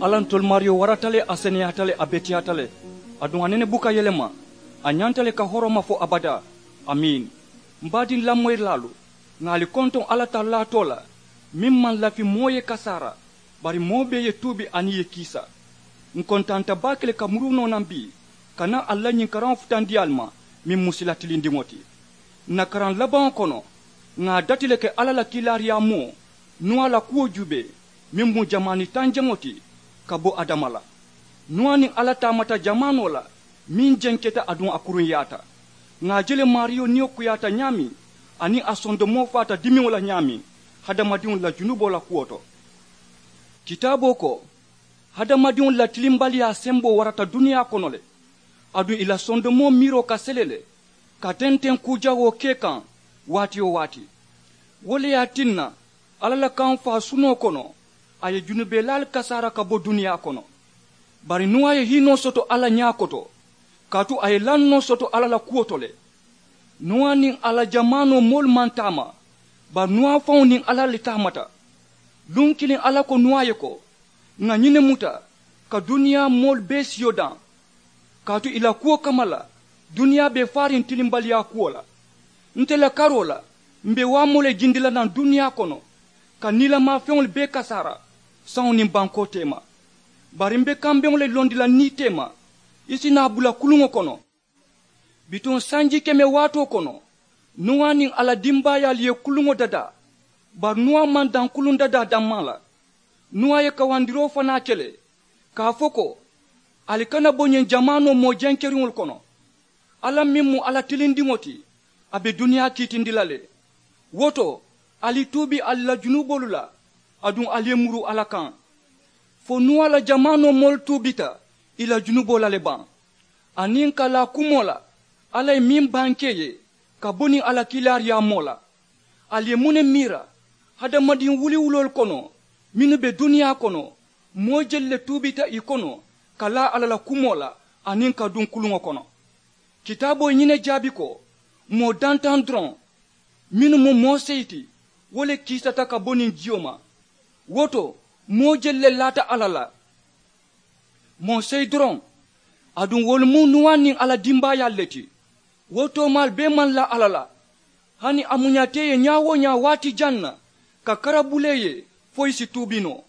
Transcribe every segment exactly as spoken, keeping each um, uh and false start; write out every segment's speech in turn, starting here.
Alla ntolu maariyo warata le, a seneyaata le, a beteyaata le, aduŋ a nene buka yelema. A ñanta le ka horoma fo abadaa. Amiin. M baadiŋ lamoyirilaalu, ŋà ali kontoŋ alla tallaa too la, meŋ maŋ lafi moo ye kasaara, bari moo bee ye tuubi aniŋ ye kiisa. Ǹ kontanta baake le ka muruu noo naŋ bii, ka naa ali la ñiŋ karaŋo futandi ali ma, meŋ mu sila tilindiŋo ti. Ǹ na karaŋ labaŋo kono, ŋà a dati le ke alla la kiilaariyaa moo, nuwaa la kuwo juubee, meŋ mu jamaani tanjaŋo ti, ka bo adama la. Nuwaa niŋ alla taamata jamaanoo la, meŋ jenketa aduŋ a kuruŋyaata. Ŋà a je le maariyo niyo kuyaata ñaameŋ, aniŋ a sondomoo faata dimiŋo la ñaameŋ, hadamadiŋolu la junuboo la kuwo to. Kitaaboo ko, hadamadiŋolu la tilimbaliyaa semboo warata duniyaa kono le, aduŋ ì la sondomoo miiroo ka sele le, ka tenteŋ kuu jawoo ke kaŋ, waati-wo-waati. Wo le ye a tinna, alla la kaŋ faa sunoo kono, a ye junubeelaalu kasaara ka bo duniyaa kono. Bari nuwaa ye hiinoo soto alla ñaa koto, kaatu a ye lannoo soto alla la kuwo to le. Nuwaa niŋ a la jamaanoo moolu maŋ taama, bari nuwaa faŋo niŋ alla le taamata. Luŋ kiliŋ alla ko nuwaa ye ko, ŋà ñiŋ ne muta, ka duniyaa moolu bee siyo daŋ. Kaatu ì la kuwo kamma la, duniyaa be faariŋ tilimbaliyaa kuwo la. Nte la karoo la, m be waamoo le jindi la naŋ duniyaa kono, ka niilamaa feŋolu bee kasaara, saŋo niŋ bankoo teema. Bari m be kambeŋo le londi la niitee ma, i si naa bula kuluŋo kono. Bituŋ sanji keme waatoo kono, nuwaa niŋ a la dimbaayaalu ye kuluŋo dadaa. Bari nuwaa maŋ daŋ kuluŋ dadaa dammaa la. Nuwaa ye kawandiroo fanaa ke le, ka a fo ko, ali kana bo ñiŋ jamaanoo moo jenkeriŋolu kono. Alla meŋ mu alla tilindiŋo ti, a be duniyaa kiitindi la le. Wo to, ali tuubi ali la junuboolu la, aduŋ ali ye muruu alla kaŋ. Fo nuwaa la jamaanoo moolu tuubita ì la junuboo la le baŋ? Aniŋ ka laa kumoo la, alla ye meŋ bankee ye, ka bo niŋ a la kiilaariyaa moo la. Ali ye muŋ ne miira? Hadamadiŋ wuliwuloolu kono, mennu be duniyaa kono, moo jelu le tuubita ì kono, ka laa alla la kumoo la, aniŋ ka duŋ kuluŋo kono. Kitaaboo ye ñiŋ ne jaabi ko, moo dantaŋ doroŋ, mennu mu moo seyi ti, wo le kiisata ka bo niŋ jiyo ma. Wo to, moo jelu le laata alla la. Moo seyi doroŋ, aduŋ wolu mu nuwaa niŋ a la dimbaayaalu le ti. Wo toomaalu bee maŋ laa alla la. Hani a muñata ì ye ñaa-wo-, ñaa waati jaŋ na, ka kara bulee ye, fo ì si tuubi noo.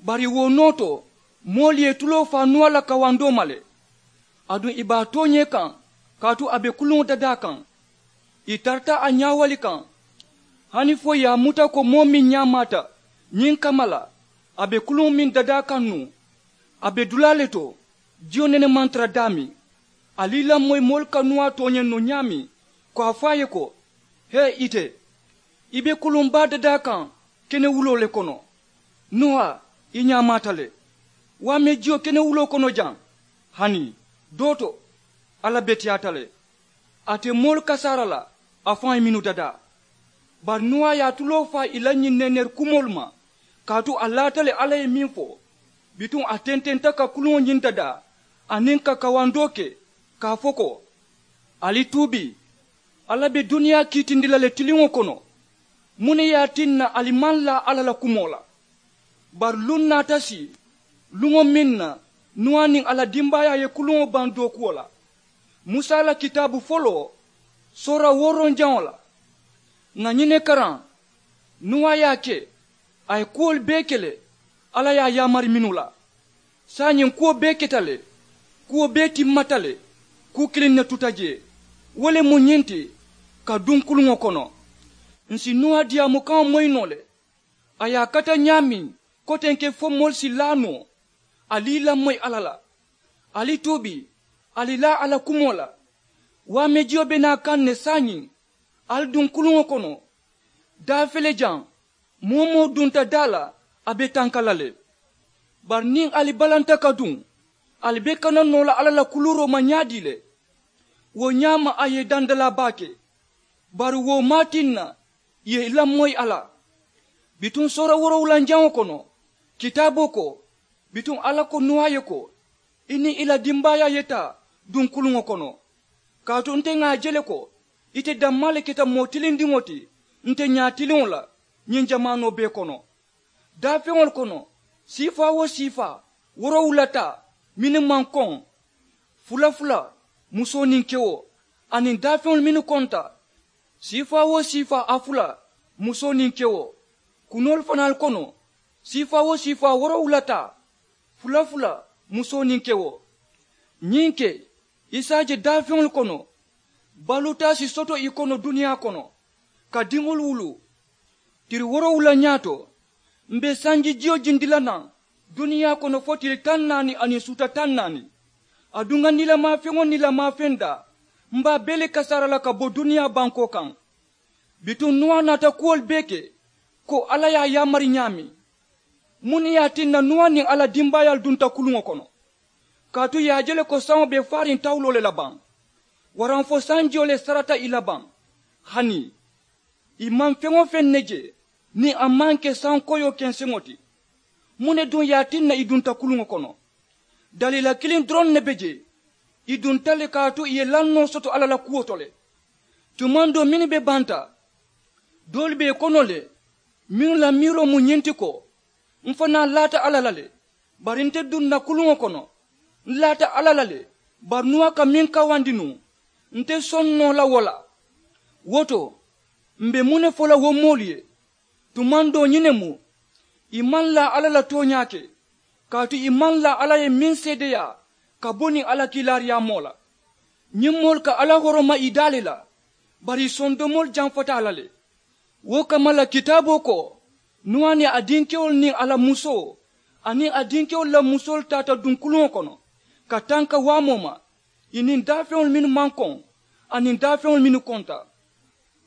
Bari wo noo to, moolu ye ì tuloo faa nuwaa la kawandoo ma le. Aduŋ ì be a tooñee kaŋ, kaatu a be kuluŋo dadaa kaŋ. Ì tarata a ñaawali kaŋ, hani fo ì ye a muta ko moo meŋ ñaamaata ñiŋ kamma la, a be kuluŋo meŋ dadaa kaŋ nuŋ, a be dulaa le to. Jiyo nene maŋ tara daameŋ. Ali i lamoyi moolu ka nuwaa tooñaŋ noo ñaameŋ, ko a fo a ye ko, hee ite, i be kuluŋ baa dadaa kaŋ kenewuloo le kono. Nuwaa, i ñaamaata le. Waamee jiyo kenewuloo kono jaŋ, hani doo to, alla beteyaata le. A te moolu kasaara la, a faŋo ye mennu dadaa. Bari nuwaa ye a tuloo faa ì la ñiŋ neeneeri kumoolu ma, kaatu a laata le alla ye meŋ fo. Bituŋ a tententa ka kuluŋo ñiŋ dadaa, aniŋ ka kawandoo ke, ka a fo ko, ali tuubi, alla be duniyaa kiitindi la le tiliŋo kono. Muŋ ne ye a tinna ali maŋ laa alla la kumoo la? Bari luŋ naata sii, luŋo meŋ na nuwaa niŋ a la dimbaayaa ye kuluŋo baŋ dookuwo la. Musa la kitaabu foloo, soora wooroŋ jaŋo la, ŋà ñiŋ ne karaŋ. Nuwaa ye a ke, a ye kuwolu bee ke le, alla ye a yaamari mennu la. Saayiŋ kuwo bee keta le, kuwo bee timmata le. Kuu kiliŋ ne tuta jee, wo le mu ñiŋ ti, ka duŋ kuluŋo kono. Ǹ si nuwaa diyaamukaŋo moyi noo le. A ye a kata ñaameŋ, kotenke fo moolu si laa noo. Ali i lamoyi alla la. Ali tuubi, ali laa a la kumoo la. Waamee jiyo be naa kaŋ ne saayiŋ, ali duŋ kuluŋo kono. Daafele jaŋ, moo-wo-moo dunta daa la, a be tanka la le. Bari niŋ ali balanta ka duŋ, ali be kana noo la alla la kuluuroo ma ñaadii le? Wo ñaama a ye i dandalaa baake. Bari wo maŋ a tinna ì ye i lamoyi a la. Bituŋ soora woorowulanjaŋo kono, kitaaboo ko, bituŋ alla ko nuwaa ye ko, i niŋ i la dimbaayaa ye taa duŋ kuluŋo kono. Kaatu nte ŋà a je le ko, ite dammaa le keta moo tilindiŋo ti nte ñaatiliŋo la ñiŋ jamaanoo bee kono. Daafeŋolu kono, siifaa-wo-siifaa, woorowula taa mennu maŋ koŋ, fula fula, musoo niŋ kewo, aniŋ daafeŋolu mennu konta, siifaa-wo-siifaa a fula, musoo niŋ kewo, kunoolu fanaalu kono, siifaa-wo-siifaa woorowula taa, fula fula, musoo niŋ kewo. Ñiŋ ke, i si a je daafeŋolu kono, baluutaa si soto i kono duniyaa kono, ka diŋolu wuluu. Tiri woorowula ñaato, m̀ be sanji jiyo jindi la naŋ duniyaa kono fo tili taŋ naani aniŋ suuta taŋ naani. Aduŋ ŋa niilamaa feŋ-wo-niilamaa feŋ daa, m̀ be a bee le kasaara la ka bo duniyaa bankoo kaŋ. Bituŋ nuwa naata kuwolu bee ke, ko alla ye a yaamari ñaameŋ. Muŋ ne ye a tinna nuwa niŋ a la dimbaayaalu dunta kuluŋo kono? Kaatu ì ye a je le ko saŋo be faariŋ tawuloo le la baŋ, waraŋ fo sanjiyo le sarata ì la baŋ. Hani ì maŋ feŋ-wo-feŋ ne je niŋ a maŋ ke saŋ koyoo kenseŋo ti. Muŋ ne duŋ ye a tinna ì dunta kuluŋo kono? Daliila kiliŋ doroŋ ne be jee. Ì dunta le kaatu ì ye lannoo soto alla la kuwo to le. Tumaŋ doo mennu be banta, doolu be ì kono le, mennu la miiroo mu ñiŋ ti ko, m̀ fanaa laata alla la le, bari nte dunna kuluŋo kono, m̀ laata alla la le. Bari nuwa ka meŋ kawandi nuŋ, nte soŋ noo la wo la. Wo to, m̀ be muŋ ne fo la wo moolu ye? Tumaŋ doo ñiŋ ne mu, ì maŋ laa alla la tooñaa ke, kaatu ì maŋ laa alla ye meŋ seedeyaa ka bo niŋ a la kiilaariyaamoo la. Ñiŋ moolu ka alla horoma ì daa le la, bari ì sondomoolu jamfata a la le. Wo kamma la kitaaboo ko, nuwa niŋ a dinkewolu niŋ a la musoo aniŋ a dinkewolu la musoolu taata duŋ kuluŋo kono, ka tanka waamoo ma, ì niŋ daafeŋolu mennu maŋ koŋ aniŋ daafeŋolu mennu konta.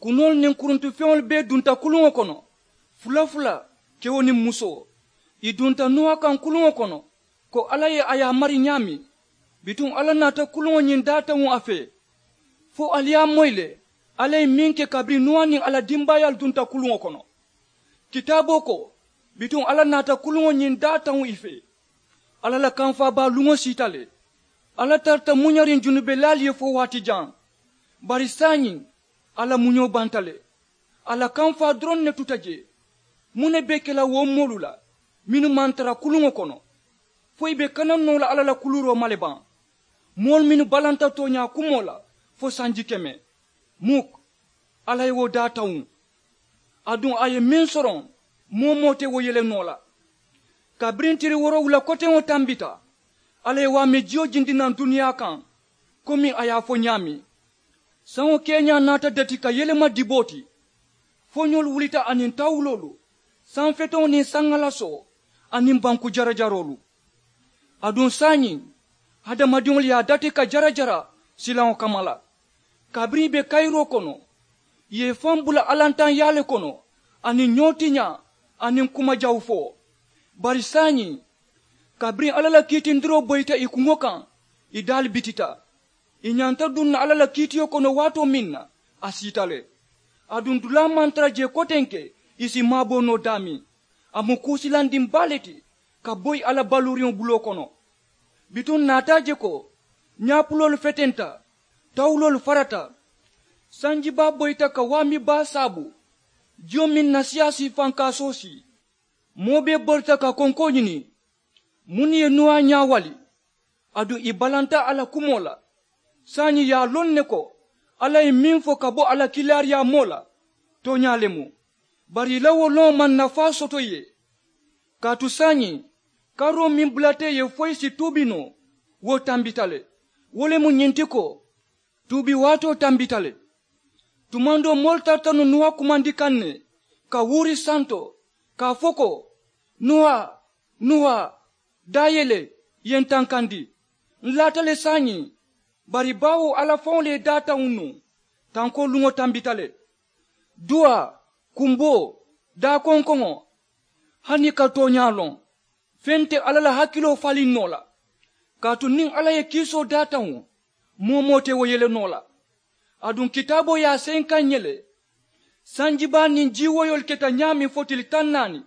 Kunoolu niŋ kuruntufeŋolu bee dunta kuluŋo kono, fula fula, kewo niŋ musoo. Ì dunta nuwa kaŋ kuluŋo kono, ko alla ye a yaamari ñaameŋ. Bituŋ alla naata kuluŋo ñiŋ daataŋo a fee, fo ali ye a moyi le alla ye meŋ ke kabiriŋ nuwa niŋ a la dimbaayaalu dunta kuluŋo kono. Kitaaboo ko, bituŋ alla naata kuluŋo ñiŋ daataŋo ì fee. Alla la kamfaa baa luŋo siita le. Alla tarata muñariŋ junubelaalu ye fo waati jaŋ. Bari saayiŋ, a la muñoo banta le. A la kamfaa doroŋ ne tuta jee. Muŋ ne be ke la wo moolu la, mennu maŋ tara kuluŋo kono? Fo ì be kana noo la alla la kuluuroo ma le baŋ? Moolu mennu balanta tooñaa kumoo la fo sanji keme. Muk, alla ye wo daa tawuŋ. Aduŋ a ye meŋ soroŋ, moo-wo-moo te wo yele noo la. Kabiriŋ tiri woorowula koteŋo tambita, alla ye waame jiyo jindi naŋ duniyaa kaŋ, komiŋ a ye a fo ñaameŋ. Saŋo keeñaa naata dati ka yelema diboo ti. Foñoolu wulita aniŋ tawuloolu, sanfeteŋo niŋ saŋalasoo, aniŋ banku jarajaroolu. Aduŋ saayiŋ, hadamadiŋolu ye a dati ka jarajara silaŋo kamma la. Kabiriŋ ì be kayiroo kono, ì ye ì faŋ bula alantaŋyaa le kono, aniŋ ñoo tiñaa, aniŋ kuma jawu fo. Bari saayiŋ, kabiriŋ alla la kiitindiroo boyita ì kuŋo kaŋ, ì daalu bitita. Ì ñanta duŋ na alla la kiitiyo kono waatoo meŋ na, a siita le. Aduŋ dulaa maŋ tara jee kotenke ì si maaboo noo daameŋ. A mu kuu silandiŋ baa le ti ka boyi a la baluuriŋo buloo kono. Bituŋ naata a je ko, ñaapuloolu fetenta, tawuloolu farata, sanji baa boyita ka waami baa saabu, jiyo meŋ na siyaasii fankaasoo sii. Moo bee borita ka konkoo ñini, munnu ye nuwa ñaawali? Aduŋ ì balanta a la kumoo la. Saayiŋ ì ye a loŋ ne ko, alla ye meŋ fo ka bo a la kiilaariyaamoo la, tooñaa le mu. Bari ì la wo loŋo maŋ nafaa soto ì ye. Kaatu saayiŋ, karoo meŋ bulata ì ye fo ì si tuubi noo, wo tambita le. Wo le mu ñiŋ ti ko, tuubi waatoo tambita le. Tumaŋ doo moolu tarata nuŋ nuwa kumandi kaŋ ne, ka wuuri santo, ka a fo ko, nuwa, nuwa, daayele, ì ye n tankandi. N laata le saayiŋ. Bari baawo alla faŋo le ye daa tawuŋ nuŋ. Tankoo luŋo tambita le. Duwaa, kumboo, daa konkoŋo, hani ì ka tooñaa loŋ, feŋ te alla la hakiloo faliŋ noo la. Kaatu niŋ alla ye kiisoo daa tawuŋ, moo-wo-moo te wo yele noo la. Aduŋ kitaaboo ye a seyi n kaŋ ǹ ye le, sanji baa niŋ jii woyoolu keta ñaameŋ fo tili taŋ naani,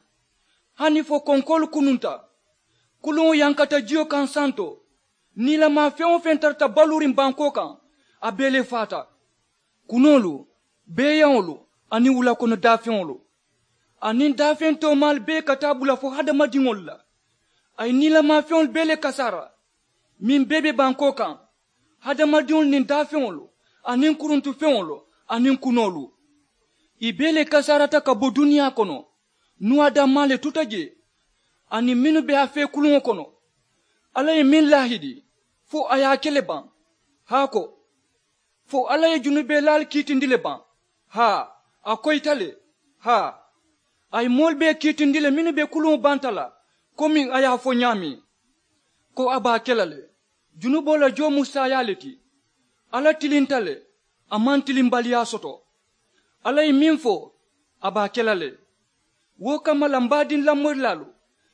hani fo konkoolu kununta, kuluŋo yankata jiyo kaŋ santo, niilamaa feŋ-wo-feŋ tarata baluuriŋ bankoo kaŋ, a bee le faata. Kunoolu, beeyaŋolu, aniŋ wula kono daafeŋolu, aniŋ daafeŋ toomaalu bee ka taa bula fo hadamadiŋolu la. A ye niilamaa feŋolu bee le kasaara meŋ bee be bankoo kaŋ, hadamadiŋolu niŋ daafeŋolu, aniŋ kuruntufeŋolu, aniŋ kunoolu. Ì bee le kasaarata ka bo duniyaa kono. Nuwaa dammaa le tuta jee, aniŋ mennu be a fee kuluŋo kono. Alla ye meŋ laahidi, fo a ye a ke le baŋ? Haa ko, fo alla ye junubelaalu kiitindi le baŋ? Haa, a koyita le. Haa, a ye moolu bee kiitindi le mennu be kuluŋo banta la, komi a ye a fo ñaameŋ, ko a be a ke la le. Junuboo la joo mu saayaa le ti. Alla tilinta le, a maŋ tilimbaliyaa soto. Alla ye meŋ fo, a be a ke la le. Wo kamma la, m baadiŋ lamoyirilaalu,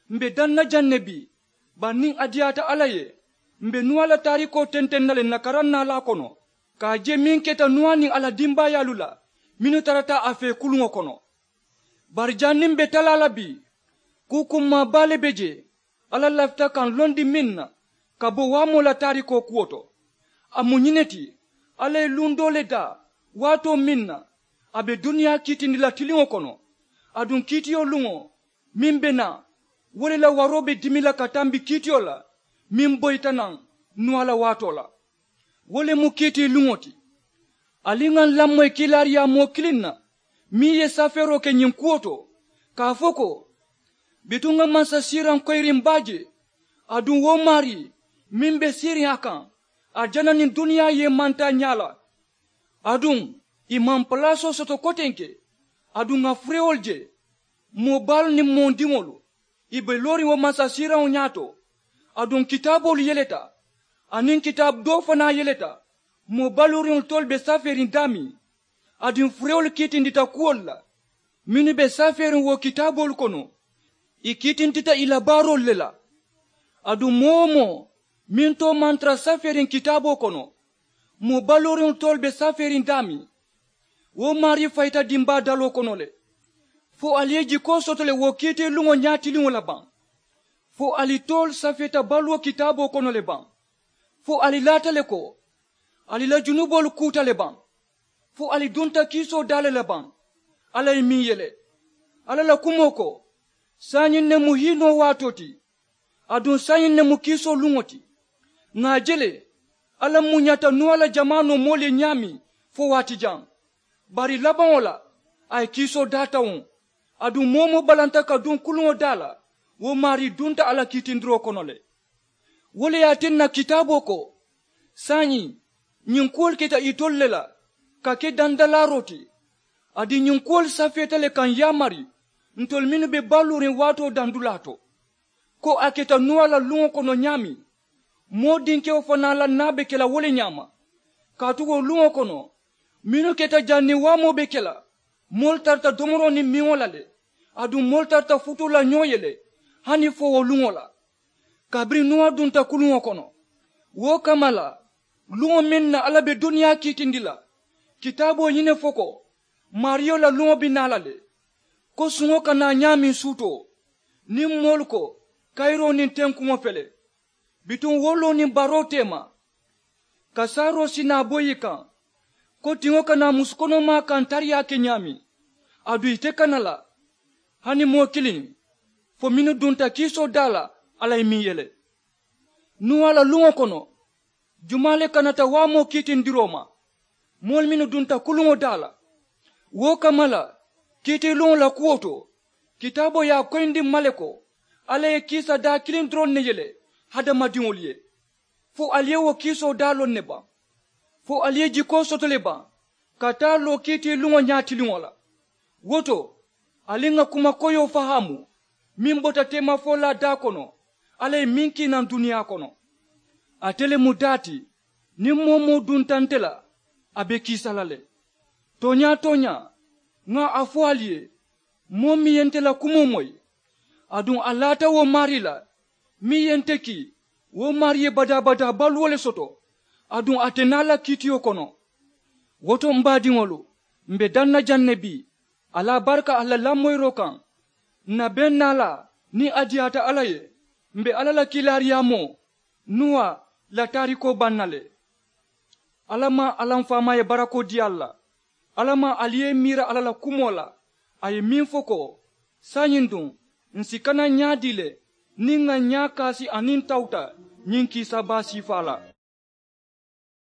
m be daŋ na jaŋ ne bii, bari niŋ a diyaata alla ye, m be nuwaa la taarikoo tenteŋ na le n na karaŋ naalaa kono, ka a je meŋ keta nuwaa niŋ a la dimbaayaalu la mennu tarata a fee kuluŋo kono. Bari janniŋ m be talaa la bii, kuu kummaa baa le be jee alla lafita ka n londi meŋ na, ka bo waamoo la taarikoo kuwo to. A mu ñiŋ ne ti, alla ye luŋ doo le daa, waatoo meŋ na a be duniyaa kiitindi la tiliŋo kono. Aduŋ kiitiyo luŋo meŋ be naa, wo le la waroo be dimi la ka tambi kiitiyo la meŋ boyita naŋ nuwaa la waatoo la. Wo le mu kiitii luŋo ti. Ali ŋà n lamoyi kiilaariyaa moo kiliŋ na meŋ ye safeeroo ke ñiŋ kuwo to, ka a fo ko, bituŋ ŋà mansasiiraŋ koyiriŋ baa je. Aduŋ wo maarii meŋ be siiriŋ a kaŋ, arijana niŋ duniyaa ye i mantaa ñaa la. Aduŋ ì maŋ palaasoo soto kotenke. Aduŋ ŋà furewolu je, moo baalu niŋ moo diŋolu, ì be looriŋ wo mansasiiraŋo ñaato. Aduŋ kitaaboolu yeleta, aniŋ kitaabu doo fanaa yeleta, moo baluuriŋolu toolu be safeeriŋ daameŋ. Aduŋ furewolu kiitindita kuwolu la mennu be safeeriŋ wo kitaaboolu kono. Ì kiitintita ì la baaroolu le la. Aduŋ moo-wo-moo meŋ too maŋ tara safeeriŋ kitaaboo kono, moo baluuriŋolu toolu be safeeriŋ daameŋ. Wo maarii fayita dimbaa daloo kono le. Fo ali ye jikoo soto le wo kiitiiluŋo ñaatiliŋo la baŋ? Fo ali toolu safeeta baluwo kitaaboo kono le baŋ? Fo ali laata le ko ali la junuboolu kuuta le baŋ? Fo ali dunta kiisoo daa le la baŋ? Alla ye meŋ yele, alla la kumoo ko, saayiŋ ne mu hiinoo waatoo ti. Aduŋ saayiŋ ne mu kiisoo luŋo ti. Ŋà a je le, alla muñata nuwaa la jamaanoo moolu ye ñaameŋ fo waati jaŋ. Bari labaŋo la, a ye kiisoo daa tawuŋ. Aduŋ moo-wo-moo balanta ka duŋ kuluŋo daa la, wo maarii dunta a la kiitindiroo kono le. Wo le ye a tinna kitaaboo ko, saayiŋ ñiŋ kuwolu keta itolu le la ka ke dandalaaroo ti. Aduŋ ñiŋ kuwolu safeeta le ka ǹ yaamari ntolu mennu be baluuriŋ waatoo dandulaa to, ko a keta nuwaa la luŋo kono ñaameŋ, moo dinkewo fanaa la naa be ke la wo le ñaama. Kaatu wo luŋo kono, mennu keta janniŋ waamoo be ke la, moolu tarata domoroo niŋ miŋo la le. Aduŋ moolu tarata futuu la ñoo ye le, hani fo wo luŋo la. Kabiriŋ nuwaa dunta kuluŋo kono, wo kamma la, luŋo meŋ na alla be duniyaa kiitindi la, kitaaboo ye ñiŋ ne fo ko, maariyo la luŋo be naa la le, ko suŋo ka naa ñaameŋ suutoo, niŋ moolu ko, kayiroo niŋ tenkuŋo fele, bituŋ woloo niŋ baroo teema, ka saaroo si naa boyi i kaŋ, ko tiŋo ka naa musukonomaa kaŋ tariyaa ke ñaameŋ. Aduŋ ite kana la, hani moo kiliŋ, fo mennu dunta kiisoo daa la, alla ye meŋ yele. Nuwaa la luŋo kono, jumaa le kanata waamoo kiitindiroo ma? Moolu mennu dunta kuluŋo daa la. Wo kamma la, kiitiiluŋo la kuwo to, kitaaboo ye a koyindi m ma le ko, alla ye kiisa daa kiliŋ doroŋ ne yele hadamadiŋolu ye. Fo ali ye wo kiisoo daa loŋ ne baŋ? Fo ali ye jikoo soto le baŋ ka taa loo kiitiiluŋo ñaatiliŋo la? Wo to, ali ŋà kuma koyoo fahaamu, meŋ bota teemafolaa daa kono, alla ye meŋ kii naŋ duniyaa kono. Ate le mu daa ti, niŋ moo-wo-moo dunta nte la, a be kiisa la le. Tooñaa-tooñaa, ŋà a fo ali ye, moo meŋ ye nte la kumoo moyi, aduŋ a laata wo maarii la, meŋ ye nte kii, wo maarii ye badaa-badaa baluwo le soto, aduŋ a te naa la kiitiyo kono. Wo to m baadiŋolu, m be daŋ na jaŋ ne bii, ali a baraka ali la lamoyiroo kaŋ. N na beŋ naalaa, niŋ a diyaata alla ye, m be alla la kiilaariyaamoo nuwaa la taarikoo baŋ na le. Alla maŋ alla m faamaa ye barakoo dii ali la. Alla maŋ ali ye i miira alla la kumoo la, a ye meŋ fo ko, saayiŋ duŋ, ǹ si kana ñaadii le Niŋ ŋà ñaakaasi aniŋ tawuta ñiŋ kiisa baa siifaa la.